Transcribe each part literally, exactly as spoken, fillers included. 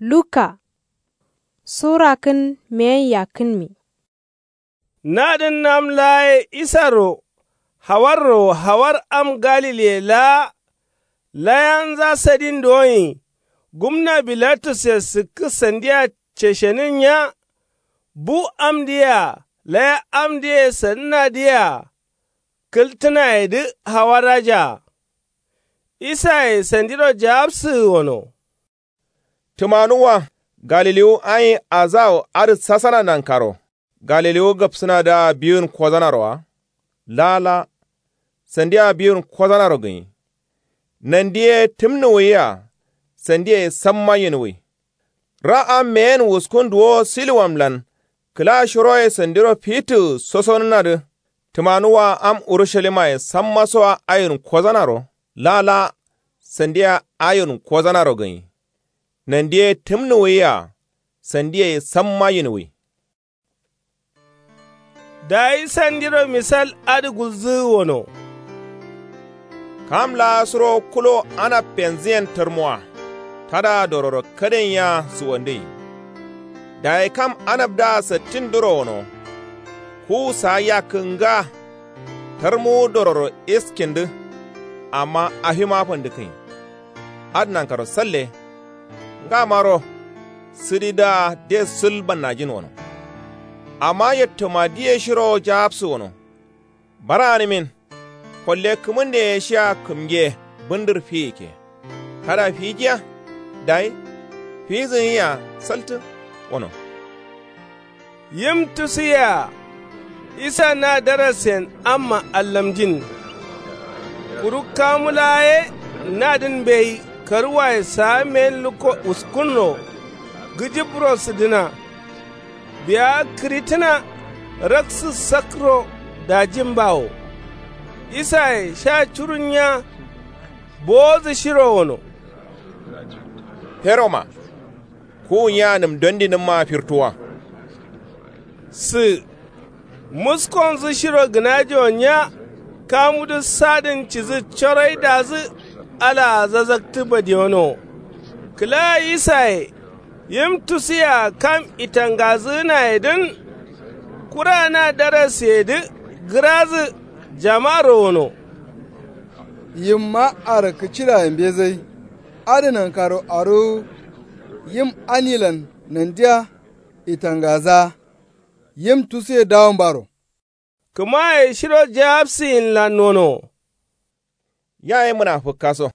Luka sura kǝn meyen yakkǝnmi. Nadǝn am laa ye isaro hawarro hawar am galile laa. Layanza sadin doyin gumna bilatus ye sǝkkǝ sandiya ceshenǝn nya. Bu amdǝ yea laya amdǝ ye sadǝnadǝ yea. Kǝltǝnayedǝ hawarajaa. Isaye sandiro jaapsǝgǝ wono. Tǝmanuwwa galiliwu ayin azawo adǝ sasana nankaro galiliwu gabsǝnadǝa biwun kozanaro wa? Laa laa. Sandia biwun kozanaro gǝnyi. Nandi ye tǝmnǝwuyiya. Sandiye samma yinwuyi. Ra am meyen wuskun duwo silwamlan kǝla shiroye sandiro fitǝgǝ sosonǝnadǝ. Tǝmanuwwa am urusalimaye sammasoa ayin kozanaro laa laa. Sandia ayin kozanaro gǝnyi. Nandi ye tǝmnǝwuyiya. Sandiye samma yinwuyi. Dayi sandiro misal adǝ gulzǝgǝ wono. Kam laa suro kulo anab fenzǝyen tarmuwa tada dororo kaden yea suwandǝnyi. Dayi kam anabdǝa sattin duro wono. Kuwu saa yakkǝ nga. Tarmuwu dororo iskindǝ. Amma afima fandǝkkǝnyi. Adǝ nankaro salle. Ngamaro sǝdidǝa de sǝl bannajin wono. Amma yattomadǝ ye shirowo jaapsǝ wono. Bara gǝnimin. Kolle kǝmǝnde ye shia kǝmge bǝndǝr fiyikke. Tada fijiya. Dayi fizǝ gǝnyia saltǝ wono. Yim tusuyea. Isa na darasen amma allamjin. Kuru kamu laa ye nadǝn mbeyi karuwaye saa meyin lukko uskunro. Gǝjǝbro sǝdǝna. Biya kǝritǝna raksǝ sakro dajin bawo. Isaye sha curun nya. Bowodǝ shiro wono. Feroma. Kuwu nya nǝm dondinǝmma firtuwa. Sǝ muskonzǝ shiro gǝnajo nya. Kamudǝ sadǝn cidǝ coroidazǝ alaa zazaktǝ badiyono. Kǝla isaye yim tusuyea kam itangazǝgǝnayedǝn. Kura na daraseyedǝ gǝrazǝ jamaro wono. Yimma arakkǝ cidaye mbezai. Adǝ nankaro aruwu yim anilan nandiya. Itangaza yim tusuye dawombaro. Kǝmaye shiro jaapsǝyinlan wono. Yaye mǝnafǝkkaso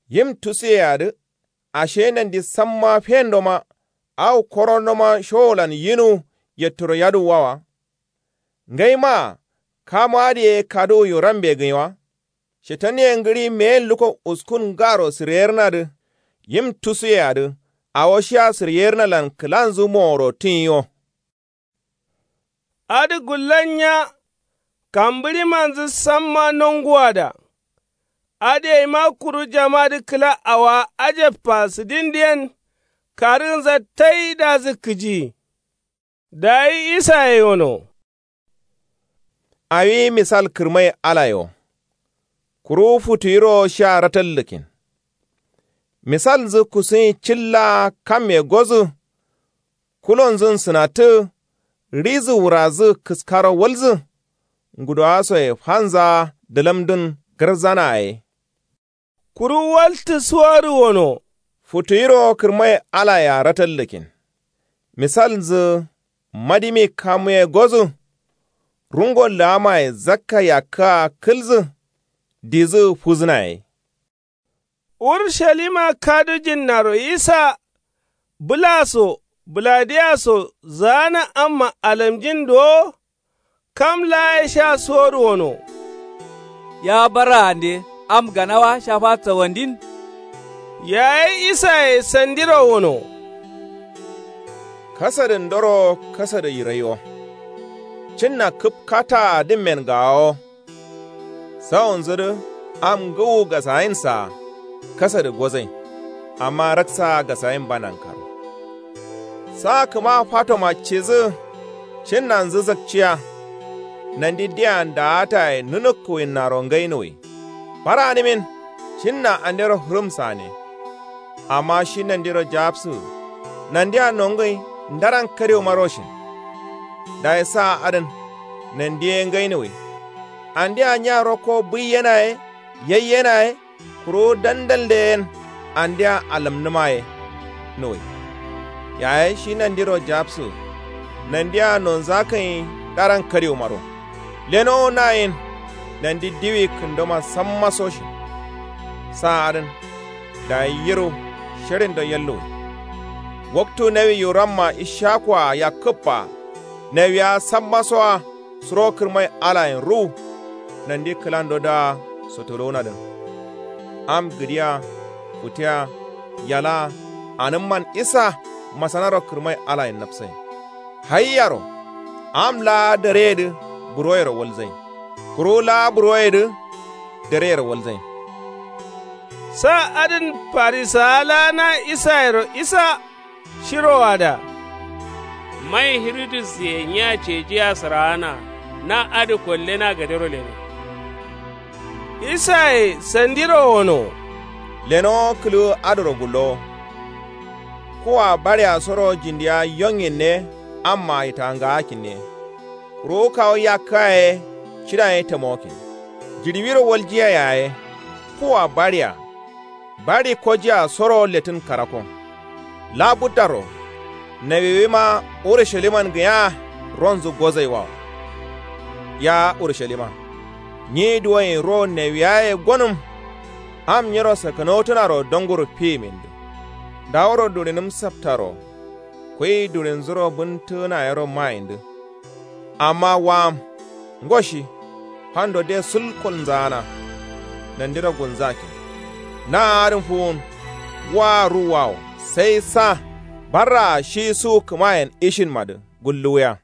yim tusuyeadǝ. Ashe nandi samma fendoma. Awo korondoma showolan yinuwu yatturo yaduwwa wa? Ngaimaa kamu adǝ ye kaduwuyu rambe gǝnyi wa? Shetan ye ngǝɍi meyen lukko uskun ngaro sǝryerǝnadǝ. Yim tusuyeadǝ awo shia sǝryerǝnalan kǝlanzǝ moworo tǝnyi wo. Adǝ gullan nya. Kambǝɍimanzǝ samma nonguwada. Adǝ yaima kuru jamadǝ kǝla awowa ajabba sǝdindǝ yen. Karǝgǝnza taidazǝ kǝji. Dayi isaye wono. Awi misal kǝrmai alaye wo. Kuru futuyiro sha ratallǝkkin. Misalnzǝ kusuyin cilla kamme gozǝ. Kulonzǝn sǝnattǝ. Ɍizǝ wurazǝ kǝskaro walzǝ. Ngudowasoye fanza dǝlamdǝn gǝrzana ye. Kuru waltǝ suwarǝ wono. Futuyiro kǝrmai alayea ratallǝkkin. Misalnzǝ madimi kamuye gozǝ. Rungo laamaye zakka yakkǝa kǝlzǝ. Dizǝ fuzǝna ye. Urushalima kadujinnaro isa. Bǝla so bǝladiya so zaana amma alamjin dowo. Kam laa ye sha suwodu wono. Ya barraande am ganawa sha fatsawandin. Yayi isaye sandiro wono. Kasadǝndoro kasadǝ yirai wo. Cǝnna kǝp kataa dǝmmen gaawo. Sawonzǝdǝ am ngǝwu gasayinsaa. Kasadǝ gozai amma raksaa gasayin ba nankaro. Sa kǝma fatoma cidǝ. Cǝnnanzǝ zakciya. Nandi diya ndaataye nǝnǝkkuwinnaro ngainuwi. Bara gǝnimin. Cǝnna andero fǝrǝmsane. Amma shi nandiro jaapsǝgǝ. Nandia nongǝi ndaran kadeumaro shin. Dayi sa adǝn nandi ye ngainǝwui. Andia nya rokko buiyena ye yaiyena ye kuru dandalde yen andia alǝmnǝma ye nǝwui. Yaye shi nandiro japsǝ nandia nonzakǝnyi ndaran kadeumaro. Lenowo nayin nandi diwi kǝndoma sammaso shin. Sa adǝn dayi yiru sherindo yalluwui. Waktu nawi yuramma ishakua yakkǝbba nawiya sammasoa suro kǝrmai alayen ruwu. Nandi kǝlando dǝa sotolowunadǝn am gǝdiya futeya yalaa anǝmman isa masanaro kǝrmai alayen napsain. Haiyaro am laa dareyedǝ buroyero walzain kuru laa buroyedǝ dareyero walzain. Sa adǝn farisawa laa na isayero isa shirowoada. Mai hirudusye nya cejiya sǝraana na adǝ kollena gadero leno. Isaye sandiro wono. Lenowo kǝlǝwu adǝro gullowo. Kuwa baɍeya soro jindiya yonginne amma yitangaakkinne. Kuru kawu yakka ye cidaye tamokkin. Jiɍiwiro waljiya yaye kuwa baɍeya baɍi kojiya soro lettǝn karakko. Labuddaro nawiwima urushalimman gǝnyaa ronzǝ gozaiwawo. Ya urushalima, nyi duwoin ro nawiyaye gonǝm. Am nyiro sakkanotǝnaro donguru fiyimindǝ. Ndaworo duɍinǝm saptaro kuyi duɍinzuro bǝntǝgǝna yero mayindǝ. Amma wa'am ngo shi fando de sul kolnzaana. Nandiro gulnzakkin na adǝn fuwun. Wa ruwwawo sai sa barraa shi suwu kǝmayen ishinmadǝ gulluwuya.